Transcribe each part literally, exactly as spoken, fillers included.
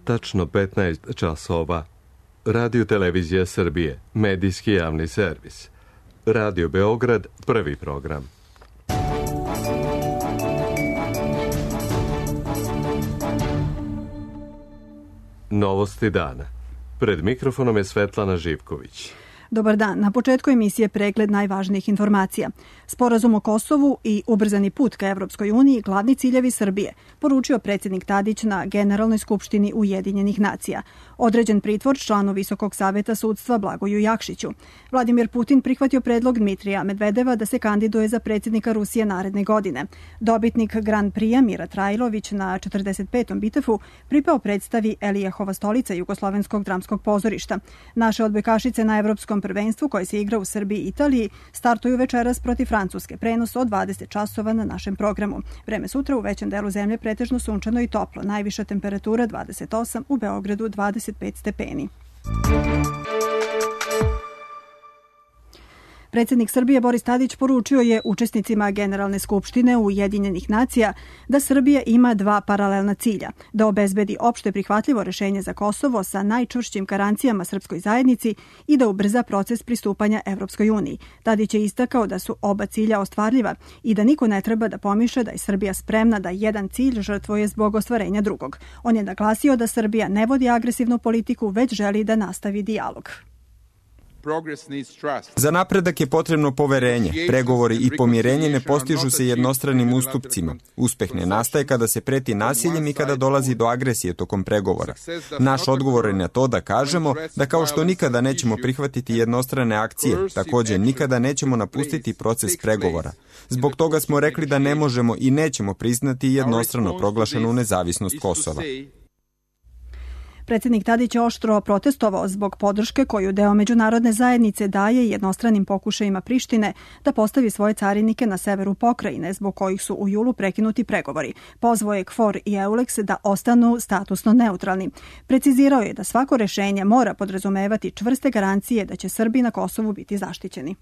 tačno petnaest časova. Radio Televizija Srbije, medijski javni servis. Radio Beograd, prvi program. Novosti dana. Pred mikrofonom je Svetlana Živković. Dobar dan. Na početku emisije pregled najvažnijih informacija. Sporazum o Kosovu i ubrzani put ka Evropskoj uniji glavni ciljevi Srbije, poručio predsjednik Tadić na Generalnoj skupštini Ujedinjenih nacija. Određen pritvor članu Visokog saveta sudstva Blagoju Jakšiću. Vladimir Putin prihvatio predlog Dmitrija Medvedeva da se kandiduje za predsjednika Rusije naredne godine. Dobitnik Grand Prix-a Mira Trajlović na četrdeset petom bitefu pripao predstavi Elijehova stolica Jugoslovenskog dramskog pozorišta. Naše odbojkašice na Evropskom prvenstvu koje se igra u Srbiji i Italiji startuju večeras protiv Francuske. Prenos od dvadeset časova na našem programu. Vreme sutra u većem delu zemlje pretežno sunčano i toplo. Najviša temperatura dvadeset osam, u Beogradu dvadeset pet stepeni. Predsjednik Srbije Boris Tadić poručio je učesnicima Generalne skupštine Ujedinjenih nacija da Srbija ima dva paralelna cilja, da obezbedi opšte prihvatljivo rešenje za Kosovo sa najčvršćim garancijama srpskoj zajednici i da ubrza proces pristupanja Evropskoj uniji. Tadić je istakao da su oba cilja ostvarljiva i da niko ne treba da pomišlja da je Srbija spremna da jedan cilj žrtvuje zbog ostvarenja drugog. On je naglasio da Srbija ne vodi agresivnu politiku, već želi da nastavi dijalog. Za napredak je potrebno poverenje. Pregovori i pomirenje ne postižu se jednostranim ustupcima. Uspeh ne nastaje kada se preti nasiljem i kada dolazi do agresije tokom pregovora. Naš odgovor je na to da kažemo da kao što nikada nećemo prihvatiti jednostrane akcije, također nikada nećemo napustiti proces pregovora. Zbog toga smo rekli da ne možemo i nećemo priznati jednostrano proglašenu nezavisnost Kosova. Predsjednik Tadić je oštro protestovao zbog podrške koju deo međunarodne zajednice daje jednostranim pokušajima Prištine da postavi svoje carinike na severu pokrajine, zbog kojih su u julu prekinuti pregovori. Pozvao je KFOR i EULEX da ostanu statusno neutralni. Precizirao je da svako rešenje mora podrazumevati čvrste garancije da će Srbi na Kosovu biti zaštićeni.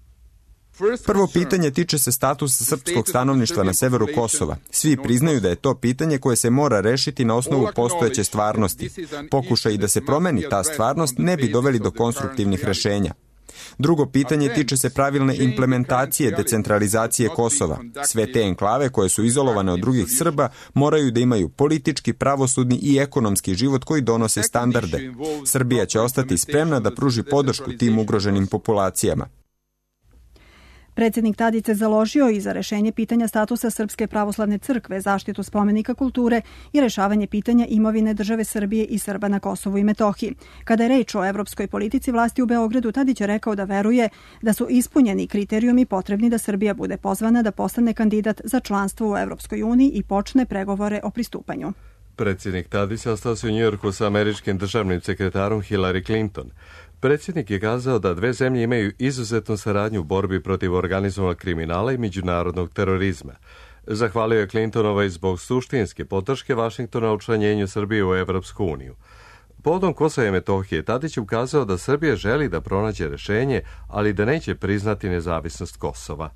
Prvo pitanje tiče se statusa srpskog stanovništva na severu Kosova. Svi priznaju da je to pitanje koje se mora rešiti na osnovu postojeće stvarnosti. Pokušaj da se promeni ta stvarnost ne bi doveli do konstruktivnih rešenja. Drugo pitanje tiče se pravilne implementacije decentralizacije Kosova. Sve te enklave koje su izolovane od drugih Srba moraju da imaju politički, pravosudni i ekonomski život koji donose standarde. Srbija će ostati spremna da pruži podršku tim ugroženim populacijama. Predsjednik Tadić se založio i za rešenje pitanja statusa Srpske pravoslavne crkve, zaštitu spomenika kulture i rešavanje pitanja imovine države Srbije i Srba na Kosovu i Metohiji. Kada je reč o evropskoj politici vlasti u Beogradu, Tadić je rekao da veruje da su ispunjeni kriterijumi potrebni da Srbija bude pozvana da postane kandidat za članstvo u Evropskoj uniji i počne pregovore o pristupanju. Predsjednik Tadić sastao se u Njujorku sa američkim državnim sekretarom Hillary Clinton. Predsjednik je kazao da dve zemlje imaju izuzetnu saradnju u borbi protiv organizovanog kriminala i međunarodnog terorizma. Zahvalio je Clintonovoj zbog suštinske podrške Vašingtona u učlanjenju Srbije u Evropsku uniju. Povodom Kosova i Metohije, Tadić je ukazao da Srbija želi da pronađe rešenje, ali da neće priznati nezavisnost Kosova.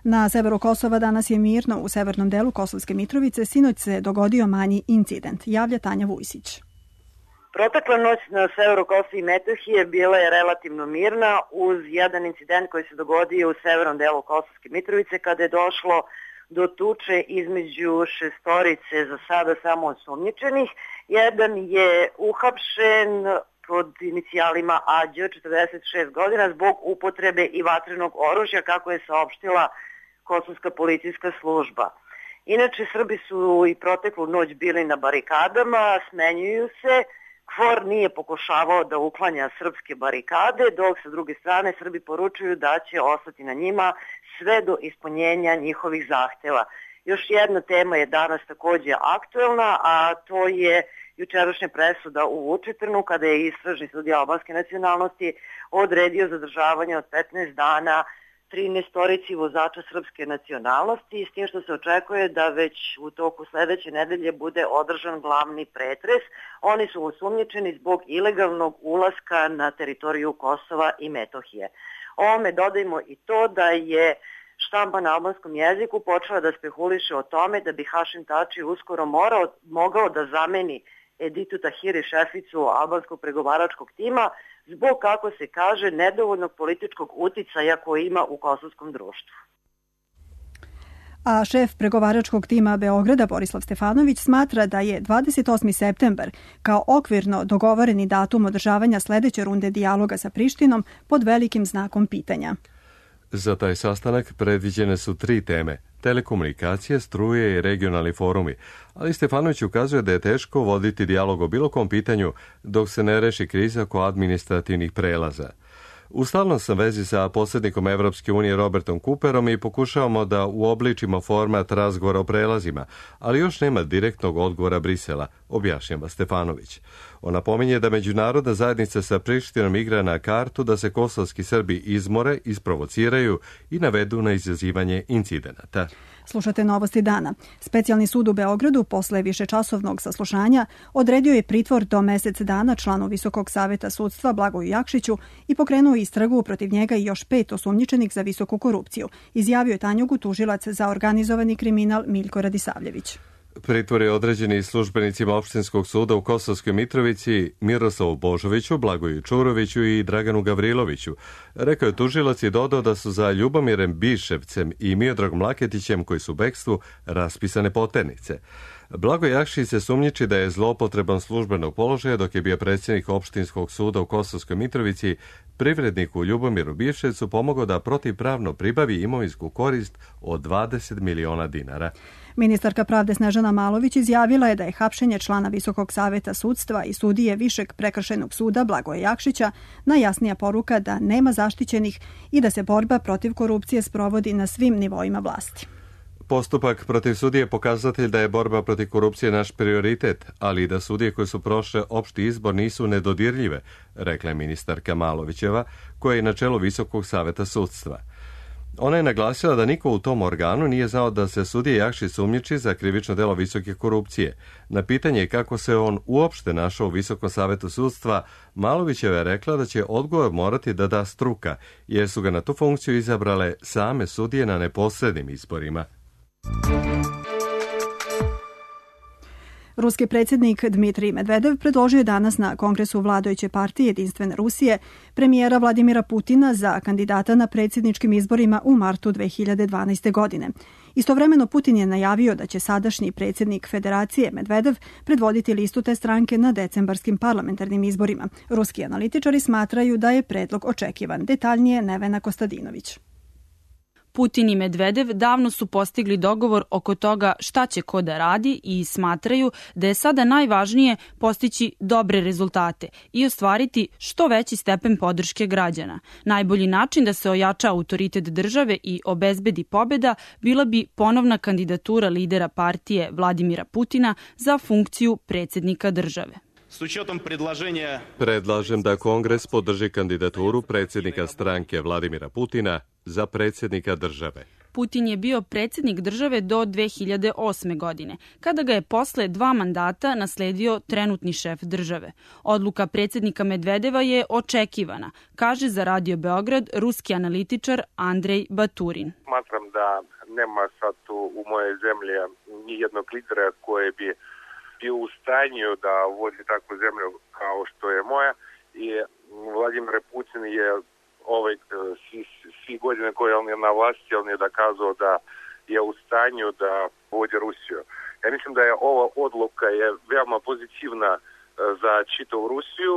Na severu Kosova danas je mirno. U severnom delu Kosovske Mitrovice sinoć se dogodio manji incident, javlja Tanja Vujsić. Protekla noć na severu Kosova i Metohije bila je relativno mirna uz jedan incident koji se dogodio u severnom delu Kosovske Mitrovice kada je došlo do tuče između šestorice za sada samo osumnjičenih. Jedan je uhapšen pod inicijalima A Đ, četrdeset šest godina, zbog upotrebe i vatrenog oružja, kako je saopštila Kosovska policijska služba. Inače, Srbi su i proteklu noć bili na barikadama, smenjuju se. KFOR nije pokušavao da uklanja srpske barikade, dok sa druge strane Srbi poručuju da će ostati na njima sve do ispunjenja njihovih zahteva. Još jedna tema je danas također aktuelna, a to je jučerašnja presuda u Vučitrnu kada je istražni sudija albanske nacionalnosti odredio zadržavanje od petnaest dana trinaestorici vozača srpske nacionalnosti, s tim što se očekuje da već u toku sledeće nedelje bude održan glavni pretres. Oni su osumnjičeni zbog ilegalnog ulaska na teritoriju Kosova i Metohije. Ovome dodajmo i to da je štampa na albanskom jeziku počela da spekuliše o tome da bi Hašim Tači uskoro morao, mogao da zameni Editu Tahiri, šeficu albanskog pregovaračkog tima, zbog, kako se kaže, nedovoljnog političkog uticaja koji ima u kosovskom društvu. A šef pregovaračkog tima Beograda Borislav Stefanović smatra da je dvadeset osmi septembar kao okvirno dogovoreni datum održavanja sledeće runde dijaloga sa Prištinom pod velikim znakom pitanja. Za taj sastanak predviđene su tri teme: telekomunikacije, struje i regionalni forumi, ali Stefanović ukazuje da je teško voditi dijalog o bilo kom pitanju dok se ne reši kriza oko administrativnih prelaza. U stalnom sam vezi sa posrednikom Evropske unije Robertom Cooperom i pokušavamo da uobličimo format razgovora o prelazima, ali još nema direktnog odgovora Brisela, objašnjava Stefanović. On napominje da međunarodna zajednica sa Prištinom igra na kartu da se kosovski Srbi izmore, isprovociraju i navedu na izazivanje incidenata. Slušate Novosti dana. Specijalni sud u Beogradu posle višečasovnog saslušanja odredio je pritvor do mesec dana članu Visokog saveta sudstva Blagoju Jakšiću i pokrenuo istragu protiv njega i još pet osumnjičenih za visoku korupciju, izjavio je Tanjugu tužilac za organizovani kriminal Miljko Radisavljević. Pritvor je određen i službenicima opštinskog suda u Kosovskoj Mitrovici Miroslavu Božoviću, Blagoju Čuroviću i Draganu Gavriloviću. Rekao je tužilac i dodao da su za Ljubomirem Biševcem i Miodragom Laketićem, koji su u bekstvu, raspisane poternice. Blagoje Jakšić se sumnjiči da je zloupotrebom službenog položaja dok je bio predsjednik opštinskog suda u Kosovskoj Mitrovici privredniku Ljubomiru Biševcu pomogao da protivpravno pribavi imovinsku korist od dvadeset miliona dinara. Ministarka pravde Snežana Malović izjavila je da je hapšenje člana Visokog saveta sudstva i sudije Višeg prekršajnog suda Blagoje Jakšića najjasnija poruka da nema zaštićenih i da se borba protiv korupcije sprovodi na svim nivoima vlasti. Postupak protiv sudije je pokazatelj da je borba protiv korupcije naš prioritet, ali i da sudije koje su prošle opšti izbor nisu nedodirljive, rekla je ministarka Malovićeva, koja je na čelu Visokog saveta sudstva. Ona je naglasila da niko u tom organu nije znao da se sudija Jakšić sumnjiči za krivično delo visoke korupcije. Na pitanje kako se on uopšte našao u Visokom savetu sudstva, Malovićeva je rekla da će odgovor morati da da struka, jer su ga na tu funkciju izabrale same sudije na neposrednim izborima. Ruski predsjednik Dmitrij Medvedev predložio je danas na Kongresu vladajuće partije Jedinstvene Rusije premijera Vladimira Putina za kandidata na predsjedničkim izborima u martu dve hiljade dvanaeste. godine. Istovremeno Putin je najavio da će sadašnji predsjednik Federacije Medvedev predvoditi listu te stranke na decembarskim parlamentarnim izborima. Ruski analitičari smatraju da je predlog očekivan. Detaljnije Nevena Kostadinović. Putin i Medvedev davno su postigli dogovor oko toga šta će ko da radi i smatraju da je sada najvažnije postići dobre rezultate i ostvariti što veći stepen podrške građana. Najbolji način da se ojača autoritet države i obezbedi pobjeda bila bi ponovna kandidatura lidera partije Vladimira Putina za funkciju predsjednika države. Predlažem da Kongres podrži kandidaturu predsjednika stranke Vladimira Putina za predsjednika države. Putin je bio predsjednik države do dve hiljade osme. godine, kada ga je posle dva mandata nasledio trenutni šef države. Odluka predsjednika Medvedeva je očekivana, kaže za Radio Beograd ruski analitičar Andrej Baturin. Smatram da nema sad u moje zemlje nijednog lidera koji bi bio u stanju da vodi takvu zemlju kao što je moja i Vladimir Putin je ovaj svi, svi godine koje on je na vlasti, on je dokazao da je u stanju da vodi Rusiju. Ja mislim da je ova odluka je veoma pozitivna za čitavu Rusiju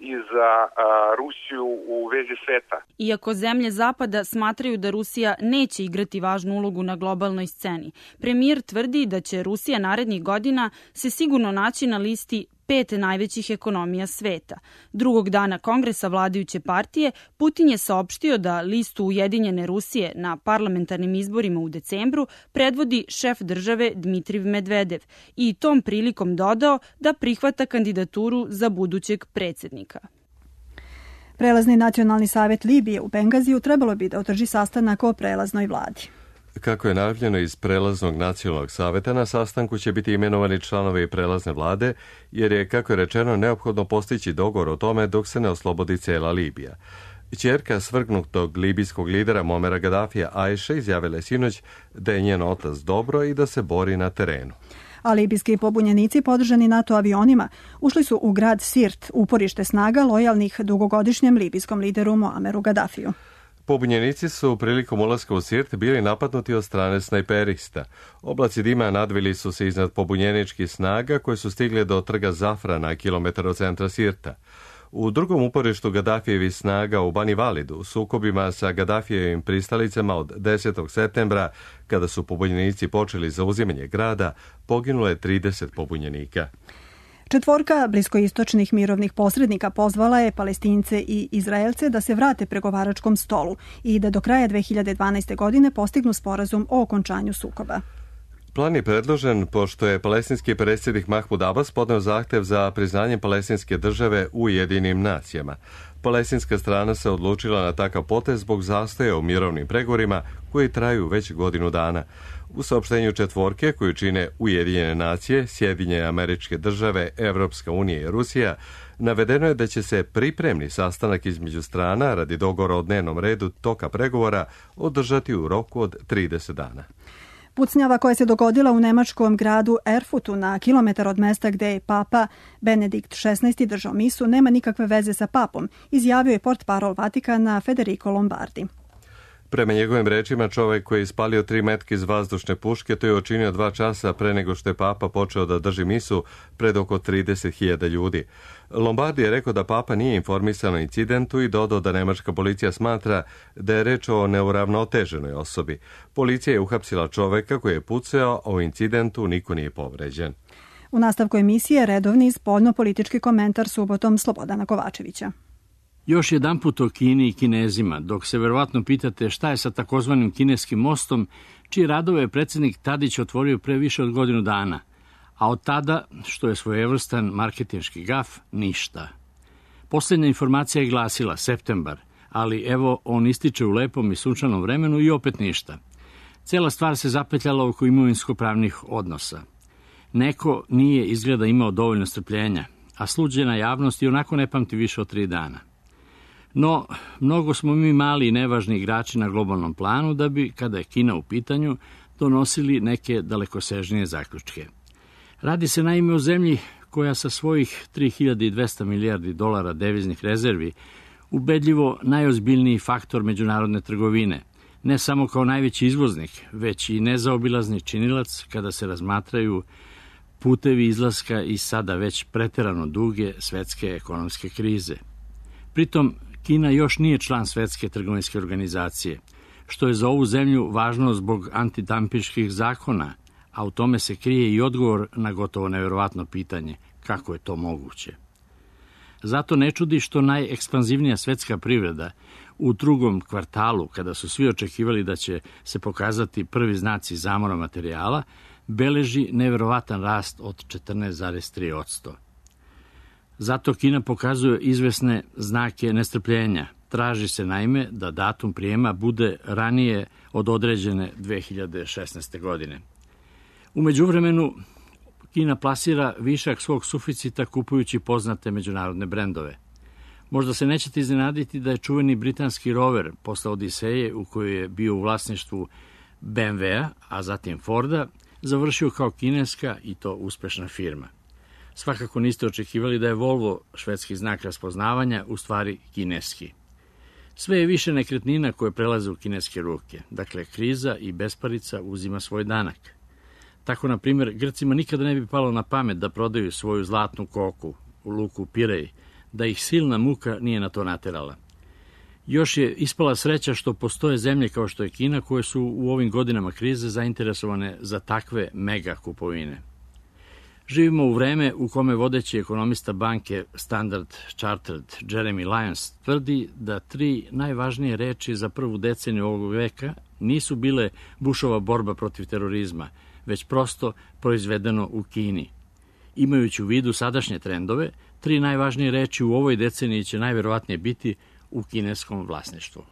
i za a, Rusiju u vezi sveta. Iako zemlje Zapada smatraju da Rusija neće igrati važnu ulogu na globalnoj sceni, premijer tvrdi da će Rusija narednih godina se sigurno naći na listi pet najvećih ekonomija sveta. Drugog dana Kongresa vladajuće partije Putin je saopštio da listu Ujedinjene Rusije na parlamentarnim izborima u decembru predvodi šef države Dmitrij Medvedev i tom prilikom dodao da prihvata kandidaturu za budućeg predsjednika. Prelazni nacionalni savjet Libije u Bengaziju trebalo bi da održi sastanak o prelaznoj vladi. Kako je najavljeno iz prelaznog nacionalnog saveta, na sastanku će biti imenovani članovi prelazne vlade, jer je, kako je rečeno, neophodno postići dogovor o tome dok se ne oslobodi cela Libija. Ćerka svrgnutog libijskog lidera Momera Gadafija Ajše izjavila je sinoć da je njen otac dobro i da se bori na terenu. a libijski pobunjenici podržani NATO avionima ušli su u grad Sirt, uporište snaga lojalnih dugogodišnjem libijskom lideru Muameru Gaddafiju. Pobunjenici su prilikom ulaska u Sirt bili napadnuti od strane snajperista. Oblaci dima nadvili su se iznad pobunjeničkih snaga koje su stigle do trga Zafra na kilometar od centra Sirta. U drugom uporištu Gaddafijevih snaga u Bani Validu, u sukobima sa Gaddafijevim pristalicama od desetog septembra, kada su pobunjenici počeli zauzimanje grada, poginulo je trideset pobunjenika. Četvorka bliskoistočnih mirovnih posrednika pozvala je Palestince i Izraelce da se vrate pregovaračkom stolu i da do kraja dve hiljade dvanaeste. godine postignu sporazum o okončanju sukoba. Plan je predložen pošto je palestinski predsjednik Mahmud Abbas podneo zahtev za priznanje palestinske države u Ujedinjenim nacijama. Palestinska strana se odlučila na takav potez zbog zastoja u mirovnim pregovorima koji traju već godinu dana. U saopštenju četvorke koju čine Ujedinjene nacije, Sjedinjene Američke Države, Evropska unija i Rusija, navedeno je da će se pripremni sastanak između strana radi dogovora o dnevnom redu toka pregovora održati u roku od trideset dana. Pucnjava koja se dogodila u nemačkom gradu Erfutu na kilometar od mesta gde je papa Benedikt šesnaesti. držao misu nema nikakve veze sa papom, izjavio je portparol Vatikana Federico Lombardi. Prema njegovim rečima, čovjek koji je ispalio tri metke iz vazdušne puške to je učinio dva časa pre nego što je papa počeo da drži misu pred oko trideset hiljada ljudi. Lombardi je rekao da papa nije informisan o incidentu i dodao da nemačka policija smatra da je reč o neuravnoteženoj osobi. Policija je uhapsila čoveka koji je pucao, a u incidentu niko nije povređen. U nastavku emisije redovni spoljno-politički komentar subotom Slobodana Kovačevića. Još jedanput o Kini i Kinezima, dok se verovatno pitate šta je sa takozvanim kineskim mostom, čiji radove je predsjednik Tadić otvorio pre više od godinu dana, a od tada, što je svojevrstan marketinški gaf, ništa. Posljednja informacija je glasila septembar, ali evo on ističe u lepom i sunčanom vremenu i opet ništa. Cela stvar se zapetljala oko imovinsko-pravnih odnosa. Neko nije izgleda imao dovoljno strpljenja, a sluđena javnost i onako ne pamti više od tri dana. No, mnogo smo mi mali i nevažni igrači na globalnom planu da bi, kada je Kina u pitanju, donosili neke dalekosežnije zaključke. Radi se naime o zemlji koja sa svojih tri hiljade dvesta milijardi dolara deviznih rezervi ubedljivo najozbiljniji faktor međunarodne trgovine, ne samo kao najveći izvoznik, već i nezaobilazni činilac kada se razmatraju putevi izlaska iz sada već preterano duge svetske ekonomske krize. Pritom, Kina još nije član Svetske trgovinske organizacije, što je za ovu zemlju važno zbog antidampinških zakona, a u tome se krije i odgovor na gotovo neverovatno pitanje kako je to moguće. Zato ne čudi što najekspanzivnija svetska privreda u drugom kvartalu, kada su svi očekivali da će se pokazati prvi znaci zamora materijala, beleži neverovatan rast od četrnaest zarez tri posto. Zato Kina pokazuje izvesne znake nestrpljenja. Traži se naime da datum prijema bude ranije od određene dve hiljade šesnaeste. godine. U međuvremenu, Kina plasira višak svog suficita kupujući poznate međunarodne brendove. Možda se nećete iznenaditi da je čuveni britanski rover posle Odiseje, u kojoj je bio u vlasništvu B M W-a, a zatim Forda, završio kao kineska i to uspešna firma. Svakako niste očekivali da je Volvo, švedski znak raspoznavanja, u stvari kineski. Sve je više nekretnina koje prelaze u kineske ruke. Dakle, kriza i besparica uzima svoj danak. Tako, na primjer, Grcima nikada ne bi palo na pamet da prodaju svoju zlatnu koku u luku Pirej, da ih silna muka nije na to naterala. Još je ispala sreća što postoje zemlje kao što je Kina, koje su u ovim godinama krize zainteresovane za takve mega kupovine. Živimo u vreme u kome vodeći ekonomista banke Standard Chartered Jeremy Lyons tvrdi da tri najvažnije reči za prvu deceniju ovog veka nisu bile Bushova borba protiv terorizma, već prosto proizvedeno u Kini. Imajući u vidu sadašnje trendove, tri najvažnije reči u ovoj deceniji će najverovatnije biti u kineskom vlasništvu.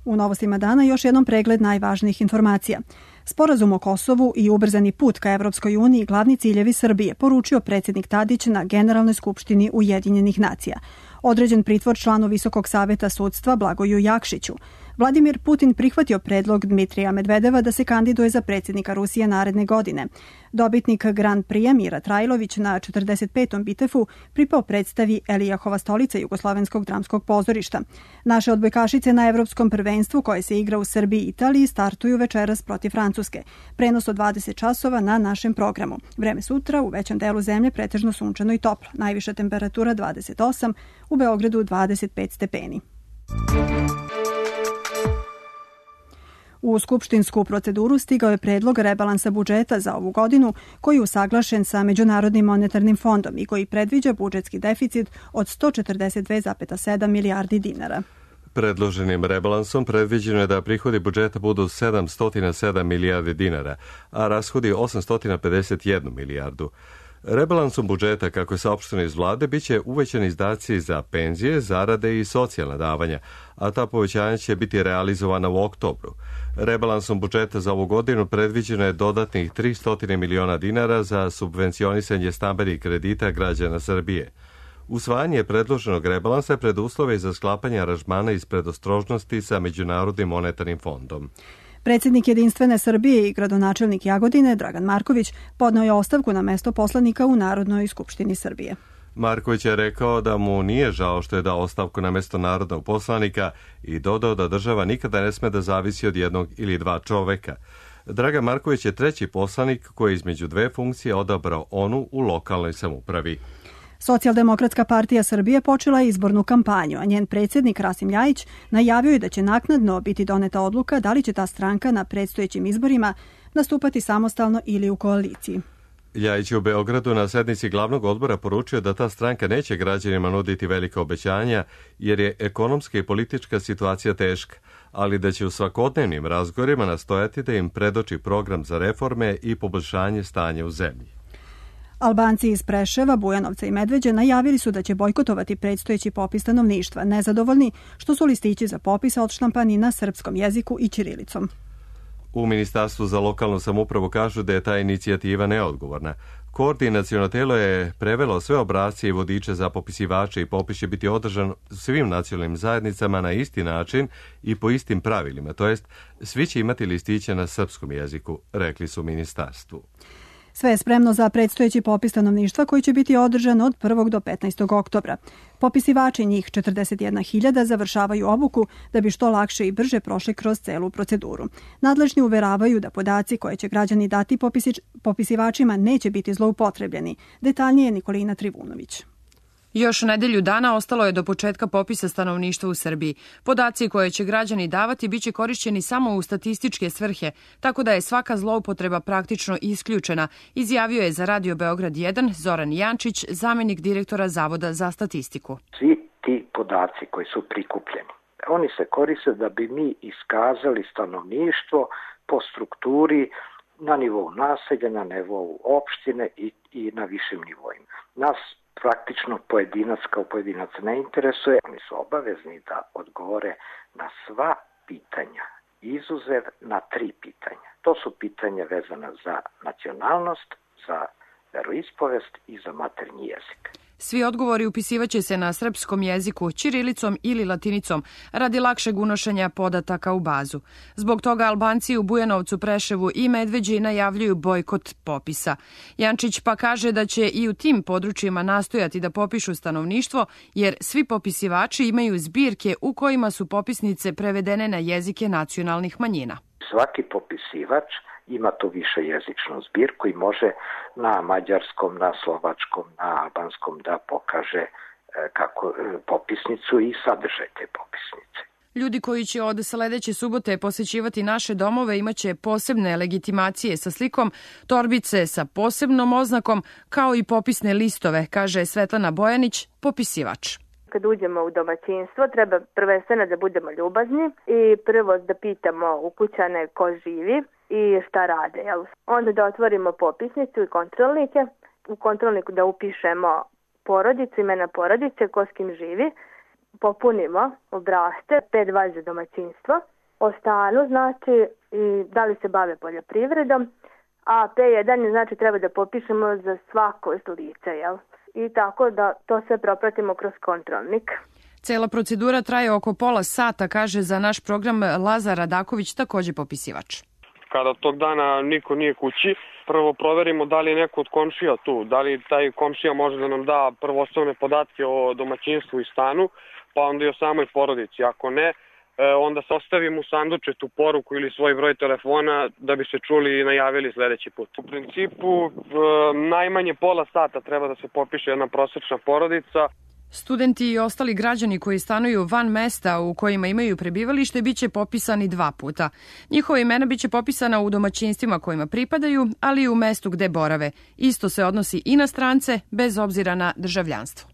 U novostima dana još jednom pregled najvažnijih informacija. Sporazum o Kosovu i ubrzani put ka Evropskoj uniji glavni ciljevi Srbije, poručio predsjednik Tadić na Generalnoj skupštini Ujedinjenih nacija. Određen pritvor članu Visokog saveta sudstva Blagoju Jakšiću. Vladimir Putin prihvatio predlog Dmitrija Medvedeva da se kandiduje za predsjednika Rusije naredne godine. Dobitnik Grand Prix Mira Trajlović na četrdeset petom bitefu pripao predstavi Elijahova stolica Jugoslovenskog dramskog pozorišta. Naše odbojkašice na Evropskom prvenstvu koje se igra u Srbiji i Italiji startuju večeras protiv Francuske. Prenos od dvadeset časova na našem programu. Vreme sutra u većem delu zemlje pretežno sunčano i toplo. Najviša temperatura dvadeset osam, u Beogradu dvadeset pet stepeni. U skupštinsku proceduru stigao je predlog rebalansa budžeta za ovu godinu koji je usaglašen sa Međunarodnim monetarnim fondom i koji predviđa budžetski deficit od sto četrdeset dve zarez sedam milijardi dinara. Predloženim rebalansom predviđeno je da prihodi budžeta budu sedamsto sedam milijardi dinara, a rashodi osamsto pedeset jednu milijardu. Rebalansom budžeta, kako je saopšteno iz vlade, biće uvećani izdaci za penzije, zarade i socijalna davanja, a ta povećanja će biti realizovana u oktobru. Rebalansom budžeta za ovu godinu predviđeno je dodatnih tristo miliona dinara za subvencionisanje stambenih kredita građana Srbije. Usvajanje predloženog rebalansa je preduslove za sklapanje aranžmana iz predostrožnosti sa Međunarodnim monetarnim fondom. Predsjednik Jedinstvene Srbije i gradonačelnik Jagodine, Dragan Marković, podneo je ostavku na mesto poslanika u Narodnoj skupštini Srbije. Marković je rekao da mu nije žao što je dao ostavku na mesto narodnog poslanika i dodao da država nikada ne sme da zavisi od jednog ili dva čoveka. Dragan Marković je treći poslanik koji je između dve funkcije odabrao onu u lokalnoj samoupravi. Socijaldemokratska partija Srbije počela je izbornu kampanju, a njen predsjednik Rasim Ljajić najavio je da će naknadno biti doneta odluka da li će ta stranka na predstojećim izborima nastupati samostalno ili u koaliciji. Ljajić je u Beogradu na sednici glavnog odbora poručio da ta stranka neće građanima nuditi velika obećanja jer je ekonomska i politička situacija teška, ali da će u svakodnevnim razgovorima nastojati da im predoči program za reforme i poboljšanje stanja u zemlji. Albanci iz Preševa, Bujanovca i Medveđe najavili su da će bojkotovati predstojeći popis stanovništva, nezadovoljni što su listići za popis odštampani na srpskom jeziku i ćirilicom. U Ministarstvu za lokalnu samoupravu kažu da je ta inicijativa neodgovorna. Koordinaciono telo je prevelo sve obrasce i vodiče za popisivače i popis će biti održan svim nacionalnim zajednicama na isti način i po istim pravilima, to jest svi će imati listiće na srpskom jeziku, rekli su u ministarstvu. Sve je spremno za predstojeći popis stanovništva koji će biti održan od prvog do petnaestog oktobra. Popisivači, njih četrdeset jedna hiljada, završavaju obuku da bi što lakše i brže prošli kroz celu proceduru. Nadležni uveravaju da podaci koje će građani dati popisič, popisivačima neće biti zloupotrebljeni. Detaljnije Nikolina Trivunović. Još nedelju dana ostalo je do početka popisa stanovništva u Srbiji. Podaci koje će građani davati biće korišćeni samo u statističke svrhe, tako da je svaka zloupotreba praktično isključena, izjavio je za Radio Beograd jedan Zoran Jančić, zamjenik direktora Zavoda za statistiku. Svi ti podaci koji su prikupljeni, oni se koriste da bi mi iskazali stanovništvo po strukturi na nivou naselja, na nivou opštine i, i na višim nivoima. Nas praktično pojedinac kao pojedinac ne interesuje. Oni su obavezni da odgovore na sva pitanja, izuzev na tri pitanja. To su pitanja vezana za nacionalnost, za veroispovest i za maternji jezik. Svi odgovori upisivaće se na srpskom jeziku, ćirilicom ili latinicom, radi lakšeg unošenja podataka u bazu. Zbog toga Albanci u Bujanovcu, Preševu i Medveđi najavljuju bojkot popisa. Jančić pa kaže da će i u tim područjima nastojati da popišu stanovništvo, jer svi popisivači imaju zbirke u kojima su popisnice prevedene na jezike nacionalnih manjina. Svaki popisivač ima tu više jezičnu zbirku i može na mađarskom, na slovačkom, na albanskom da pokaže kako popisnicu i sadržaj te popisnice. Ljudi koji će od sledeće subote posećivati naše domove imaće posebne legitimacije sa slikom, torbice sa posebnom oznakom, kao i popisne listove, kaže Svetlana Bojanić, popisivač. Kad uđemo u domaćinstvo, treba prvenstveno da budemo ljubazni i prvo da pitamo ukućane ko živi i šta rade. Jel? Onda da otvorimo popisnicu i kontrolnike. U kontrolniku da upišemo porodicu, imena porodice, ko s kim živi. Popunimo obrasce, P dva za domaćinstvo. O stanu znači i da li se bave poljoprivredom. A P jedan znači treba da popišemo za svako lice, jel? I tako da to sve propratimo kroz kontrolnik. Cela procedura traje oko pola sata, kaže za naš program Lazar Radaković, takođe popisivač. Kada tog dana niko nije kući, prvo proverimo da li je neko od komšija tu, da li taj komšija može da nam da prvo osnovne podatke o domaćinstvu i stanu, pa onda i o samoj porodici. Ako ne, onda sastavimo u sanduče tu poruku ili svoj broj telefona da bi se čuli i najavili sledeći put. U principu, najmanje pola sata treba da se popiše jedna prosečna porodica. Studenti i ostali građani koji stanuju van mesta u kojima imaju prebivalište biće popisani dva puta. Njihova imena biće popisana u domaćinstvima kojima pripadaju, ali i u mestu gde borave. Isto se odnosi i na strance, bez obzira na državljanstvo.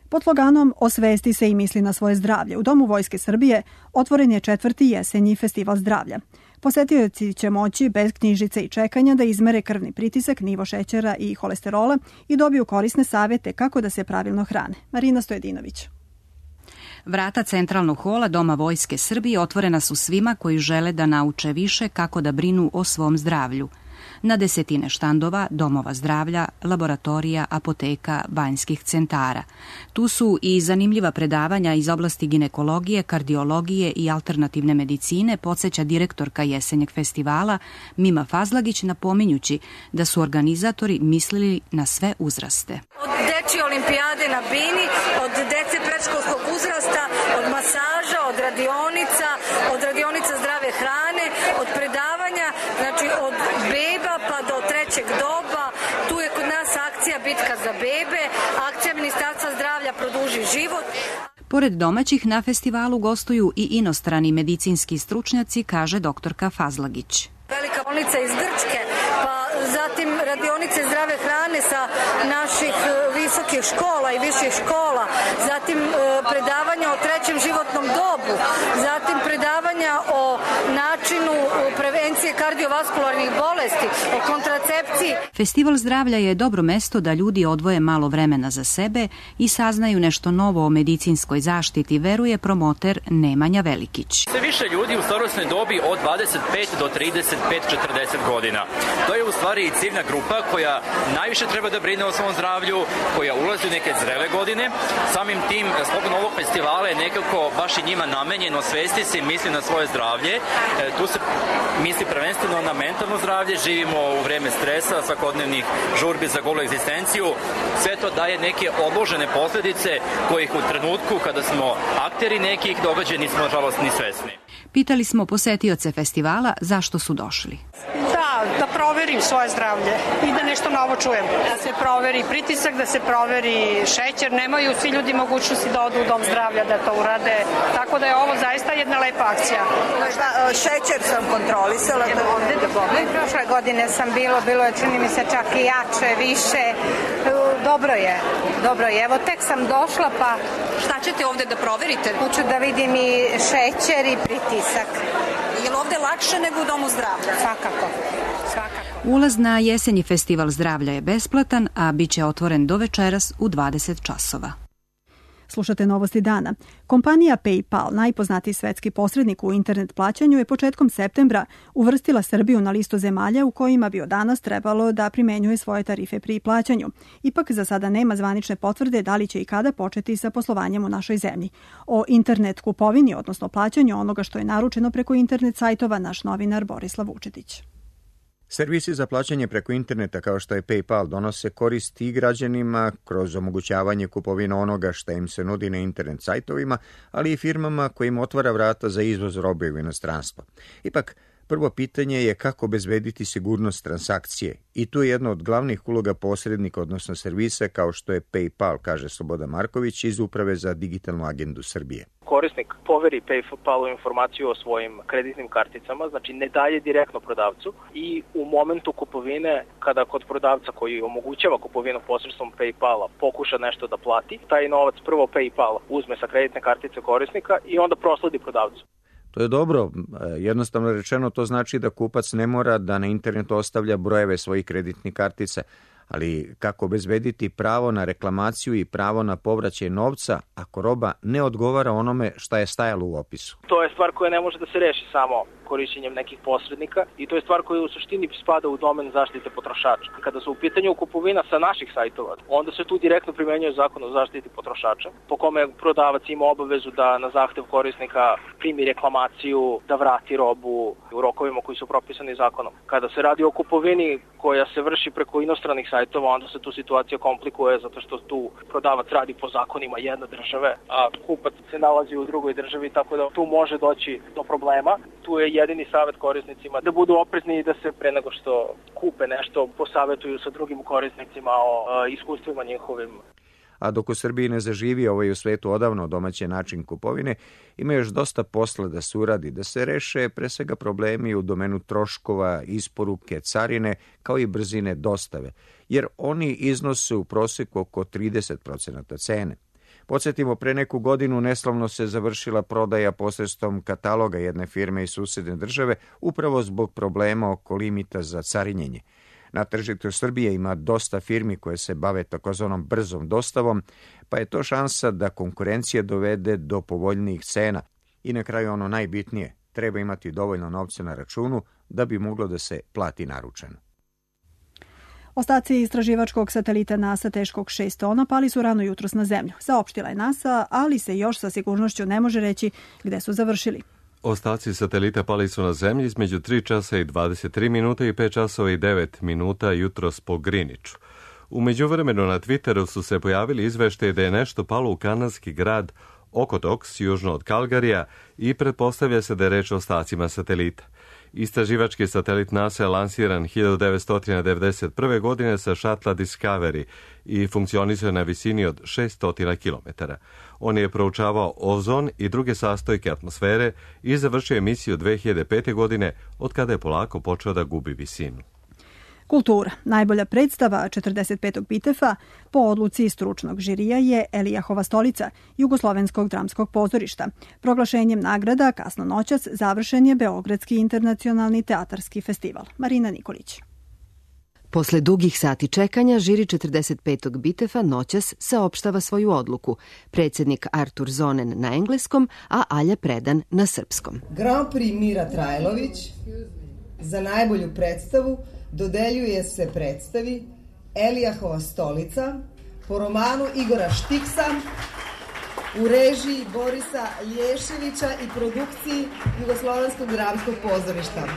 Pod sloganom Osvesti se i misli na svoje zdravlje u Domu Vojske Srbije otvoren je četvrti jesenji festival zdravlja. Posetioci će moći bez knjižice i čekanja da izmere krvni pritisak, nivo šećera i holesterola i dobiju korisne savete kako da se pravilno hrane. Marina Stojedinović. Vrata centralnog hola Doma Vojske Srbije otvorena su svima koji žele da nauče više kako da brinu o svom zdravlju. Na desetine štandova, domova zdravlja, laboratorija, apoteka, banjskih centara. Tu su i zanimljiva predavanja iz oblasti ginekologije, kardiologije i alternativne medicine, podsjeća direktorka jesenjeg festivala Mima Fazlagić, napominjući da su organizatori mislili na sve uzraste. Od dečje olimpijade na bini, od dece predškolskog uzrasta, od masaža, od radionica, od radionica zdrave hrane, od predavanja, znači od beba pa do trećeg doba. Tu je kod nas akcija Bitka za bebe, akcija Ministarstva zdravlja Produži život. Pored domaćih na festivalu gostuju i inostrani medicinski stručnjaci, kaže doktorka Fazlagić. Velika bolnica iz Grčke, pa zatim radionice zdrave hrane sa naših visokih škola i viših škola, zatim predavanja o trećem životnom dobu, zatim predavanja o načinu prevencije kardiovaskularnih bolesti, o kontracepciji. Festival zdravlja je dobro mesto da ljudi odvoje malo vremena za sebe i saznaju nešto novo o medicinskoj zaštiti, veruje promoter Nemanja Velikić. Sve više ljudi u starosnoj dobi od dvadeset pet do trideset pet četrdeset godina. To je u stvari i ciljna grupa koja najviše treba da brine o svom zdravlju, koja ulazi u neke zrele godine. Samim tim, slobodno ovog festivala je nekako baš i njima namenjeno svesti se i misli na svoje zdravlje. E, tu se misli prvenstveno na mentalno zdravlje, živimo u vreme stresa, svakodnevnih žurbi za golu egzistenciju. Sve to daje neke odložene posledice kojih u trenutku kada smo akteri nekih događaja nismo nažalost ni svesni. Pitali smo posetioce festivala zašto su došli. Da, da proverim svoje zdravlje i da nešto novo čujem. Da se proveri pritisak, da se proveri šećer. Nemaju svi ljudi mogućnosti da odu u dom zdravlja da to urade. Tako da je ovo zaista jedna lepa akcija. Šta, šećer sam kontrolisala. Evo ovde da pogledam. Prošle godine sam bilo, bilo je čini mi se čak i jače, više. Dobro je, dobro je. Evo tek sam došla pa... Šta ćete ovde da proverite? Hoću da vidim i šećer i pritisak. Je li ovde lakše nego u domu zdravlja? Svakako, svakako. Ulaz na jesenji festival zdravlja je besplatan, a bit će otvoren do večeras u dvadeset časova. Slušate novosti dana. Kompanija PayPal, najpoznatiji svetski posrednik u internet plaćanju, je početkom septembra uvrstila Srbiju na listu zemalja u kojima bi od danas trebalo da primenjuje svoje tarife pri plaćanju. Ipak za sada nema zvanične potvrde da li će i kada početi sa poslovanjem u našoj zemlji. O internet kupovini, odnosno plaćanju onoga što je naručeno preko internet sajtova, naš novinar Borislav Vučetić. Servisi za plaćanje preko interneta kao što je PayPal donose koristi i građanima kroz omogućavanje kupovine onoga što im se nudi na internet sajtovima, ali i firmama kojim otvara vrata za izvoz robe u inostranstvo. Ipak, prvo pitanje je kako obezbediti sigurnost transakcije i tu je jedna od glavnih uloga posrednika, odnosno servisa kao što je PayPal, kaže Slobodan Marković iz Uprave za digitalnu agendu Srbije. Korisnik poveri PayPalu informaciju o svojim kreditnim karticama, znači ne daje direktno prodavcu i u momentu kupovine, kada kod prodavca koji omogućava kupovinu posredstvom PayPala pokuša nešto da plati, taj novac prvo PayPal uzme sa kreditne kartice korisnika i onda prosledi prodavcu. To je dobro. Jednostavno rečeno to znači da kupac ne mora da na internetu ostavlja brojeve svojih kreditnih kartica, Ali kako obezbediti pravo na reklamaciju i pravo na povraćaj novca ako roba ne odgovara onome šta je stajalo u opisu? To je stvar koja ne može da se reši samo korišćenjem nekih posrednika i to je stvar koja u suštini spada u domen zaštite potrošača. Kada su u pitanju kupovina sa naših sajtova, onda se tu direktno primenjuje zakon o zaštiti potrošača, po kome prodavac ima obavezu da na zahtev korisnika primi reklamaciju, da vrati robu u rokovima koji su propisani zakonom. Kada se radi o kupovini koja se vrši preko inostranih sajtova, onda se tu situacija komplikuje zato što tu prodavac radi po zakonima jedne države, a kupac se nalazi u drugoj državi, tako da tu može doći do problema. Tu je jedini savjet korisnicima da budu oprezni i da se pre nego što kupe nešto posavetuju sa drugim korisnicima o iskustvima njihovim. A dok u Srbiji ne zaživi ovaj u svetu odavno domaći način kupovine, ima još dosta posla da se uradi, da se reše pre svega problemi u domenu troškova, isporuke, carine, kao i brzine dostave, jer oni iznose u proseku oko trideset procenata cene. Podsjetimo, pre neku godinu neslavno se završila prodaja posredstvom kataloga jedne firme iz susedne države, upravo zbog problema oko limita za carinjenje. Na tržištu Srbije ima dosta firmi koje se bave takozvanom brzom dostavom, pa je to šansa da konkurencija dovede do povoljnijih cena. I na kraju ono najbitnije, treba imati dovoljno novca na računu da bi moglo da se plati naručeno. Ostaci istraživačkog satelita NASA teškog šest tona pali su rano jutros na zemlju. Saopštila je NASA, ali se još sa sigurnošću ne može reći gde su završili. Ostaci satelita pali su na zemlji između tri časa i dvadeset tri minuta i pet časova i devet minuta jutros po Greenwichu. U međuvremenu na Twitteru su se pojavili izveštaji da je nešto palo u kanadski grad Okotoks, južno od Kalgarija, i pretpostavlja se da je reč o ostacima satelita. Istraživački satelit NASA je lansiran hiljadu devetsto devedeset prve. godine sa šatla Discovery i funkcionisao na visini od šesto kilometara. On je proučavao ozon i druge sastojke atmosfere i završio emisiju dve hiljade pete. godine, od kada je polako počeo da gubi visinu. Kultura. Najbolja predstava četrdeset petog Bitefa po odluci stručnog žirija je Elijahova stolica Jugoslovenskog dramskog pozorišta. Proglašenjem nagrada kasno noćas završen je Beogradski internacionalni teatarski festival. Marina Nikolić. Posle dugih sati čekanja, žiri četrdeset petog Bitefa noćas saopštava svoju odluku. Predsjednik Artur Zonen na engleskom, a Alja Predan na srpskom. Grand Prix Mira Trajlović za najbolju predstavu dodeljuje se predstavi Elijahova stolica po romanu Igora Štiksa u režiji Borisa Lješevića i produkciji Jugoslovenskog dramskog pozorišta.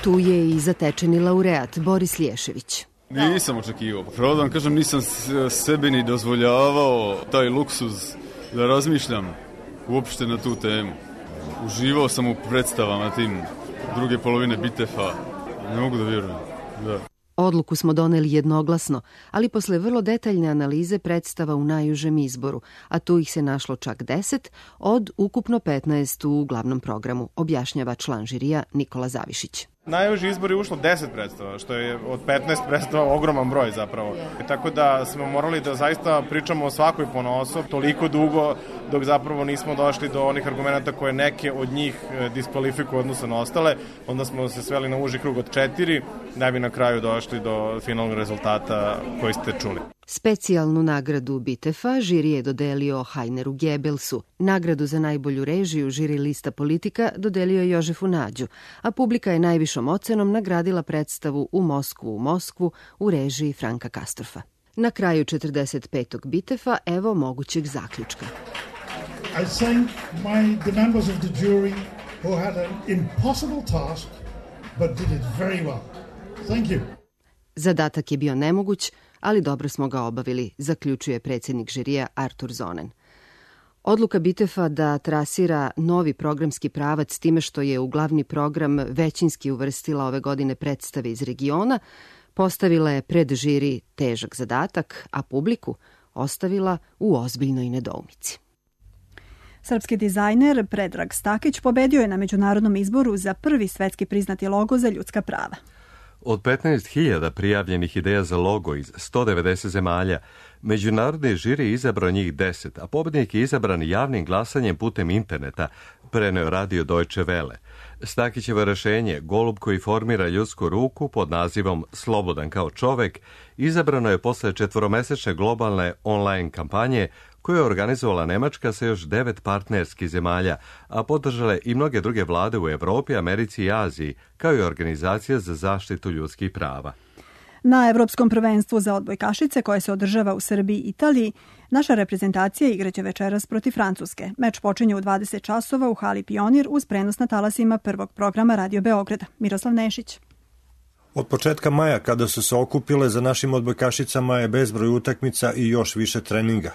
Tu je i zatečeni laureat Boris Lješević. Nisam očekivao. Pravo da vam kažem, nisam sebi ni dozvoljavao taj luksuz da razmišljam uopšte na tu temu. Uživao sam u predstavama tim druge polovine Bitefa. Ne mogu da vjerujem. Da. Odluku smo doneli jednoglasno, ali posle vrlo detaljne analize predstava u najužem izboru, a tu ih se našlo čak deset od ukupno petnaest u glavnom programu, objašnjava član žirija Nikola Zavišić. Najuži izbor je ušlo deset predstava, što je od petnaest predstava ogroman broj zapravo. Tako da smo morali da zaista pričamo o svakoj ponaosob toliko dugo dok zapravo nismo došli do onih argumenta koje neke od njih diskvalifikuju odnosno na ostale. Onda smo se sveli na uži krug od četiri da bi na kraju došli do finalnog rezultata koji ste čuli. Specijalnu nagradu Bitefa žiri je dodelio Hajneru Gebelsu. Nagradu za najbolju režiju žiri lista Politika dodelio je Jožefu Nađu, a publika je najvišom ocenom nagradila predstavu U Moskvu, u Moskvu u režiji Franka Kastorfa. Na kraju četrdeset petog Bitefa evo mogućeg zaključka. I thank my, the members of the jury who had an impossible task but did it very well. Thank you. Zadatak je bio nemoguć, ali dobro smo ga obavili, zaključuje predsjednik žirija Artur Zonen. Odluka Bitefa da trasira novi programski pravac time što je u glavni program većinski uvrstila ove godine predstave iz regiona, postavila je pred žiri težak zadatak, a publiku ostavila u ozbiljnoj nedoumici. Srpski dizajner Predrag Stakić pobedio je na međunarodnom izboru za prvi svetski priznati logo za ljudska prava. Od petnaest hiljada prijavljenih ideja za logo iz sto devedeset zemalja, međunarodni žiri je izabrao njih deset, a pobednik je izabran javnim glasanjem putem interneta, preneo radio Deutsche Welle. Stakićevo rešenje, golub koji formira ljudsku ruku pod nazivom Slobodan kao čovek, izabrano je posle četvoromesečne globalne online kampanje koju je organizovala Nemačka sa još devet partnerskih zemalja, a podržale i mnoge druge vlade u Evropi, Americi i Aziji, kao i Organizacija za zaštitu ljudskih prava. Na Evropskom prvenstvu za odbojkašice koje se održava u Srbiji i Italiji, naša reprezentacija igraće večeras protiv Francuske. Meč počinje u dvadeset časova u hali Pionir uz prenos na talasima prvog programa Radio Beograda. Miroslav Nešić. Od početka maja, kada su se okupile, za našim odbojkašicama je bezbroj utakmica i još više treninga.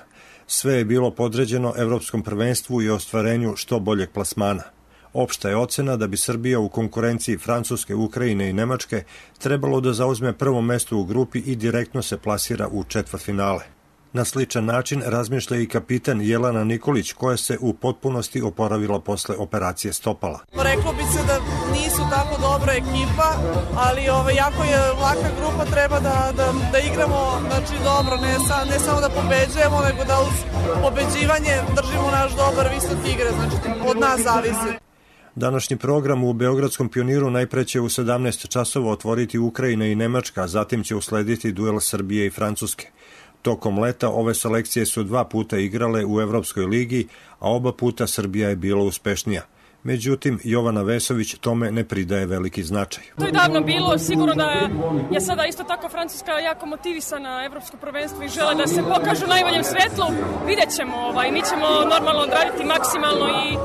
Sve je bilo podređeno Evropskom prvenstvu i ostvarenju što boljeg plasmana. Opšta je ocena da bi Srbija u konkurenciji Francuske, Ukrajine i Nemačke trebalo da zauzme prvo mesto u grupi i direktno se plasira u četvrtfinale. Na sličan način razmišlja i kapitan Jelena Nikolić, koja se u potpunosti oporavila posle operacije stopala. Reklo bi se da nisu tako dobra ekipa, ali ovaj, jako je laka grupa, treba da, da, da igramo znači, dobro, ne, sa, ne samo da pobeđujemo, nego da uz pobeđivanje držimo naš dobar visok igre, znači od nas zavisi. Današnji program u Beogradskom Pioniru najpre će u sedamnaest časova otvoriti Ukrajina i Nemačka, a zatim će uslediti duel Srbije i Francuske. Tokom leta ove selekcije su dva puta igrale u Evropskoj ligi, a oba puta Srbija je bila uspešnija. Međutim, Jovana Vesović tome ne pridaje veliki značaj. To je davno bilo, sigurno da je sada isto tako Francuska jako motivisana na evropsko prvenstvo i žele da se pokažu u najboljem svetlu. Vidjet ćemo, ovaj, mi ćemo normalno odraditi maksimalno i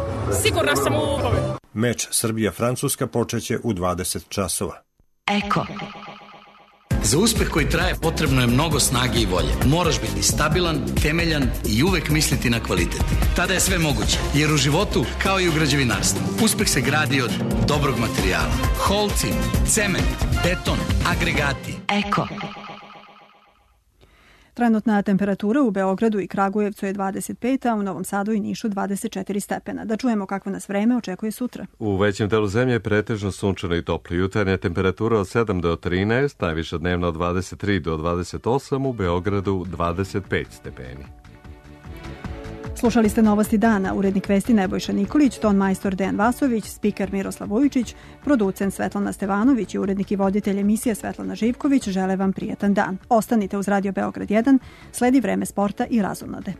sigurna sam u pobedu. Meč Srbija-Francuska počeće u dvadeset časova. Eko. Za uspeh koji traje potrebno je mnogo snage i volje. Moraš biti stabilan, temeljan i uvek misliti na kvalitet. Tada je sve moguće, jer u životu, kao i u građevinarstvu, uspeh se gradi od dobrog materijala. Holci, cement, beton, agregati. Eko. Trenutna temperatura u Beogradu i Kragujevcu je dvadeset pet, a u Novom Sadu i Nišu dvadeset četiri stepena. Da čujemo kakvo nas vreme očekuje sutra. U većem delu zemlje je pretežno sunčano i toplo. Jutarnja temperatura od sedam do trinaest, najviša dnevna od dvadeset tri do dvadeset osam, u Beogradu dvadeset pet stepeni. Slušali ste Novosti dana, urednik vesti Nebojša Nikolić, ton majstor Dejan Vasović, spiker Miroslav Vujičić, producent Svetlana Stevanović i urednik i voditelj emisije Svetlana Živković žele vam prijatan dan. Ostanite uz Radio Beograd jedan, sledi vreme sporta i razonode.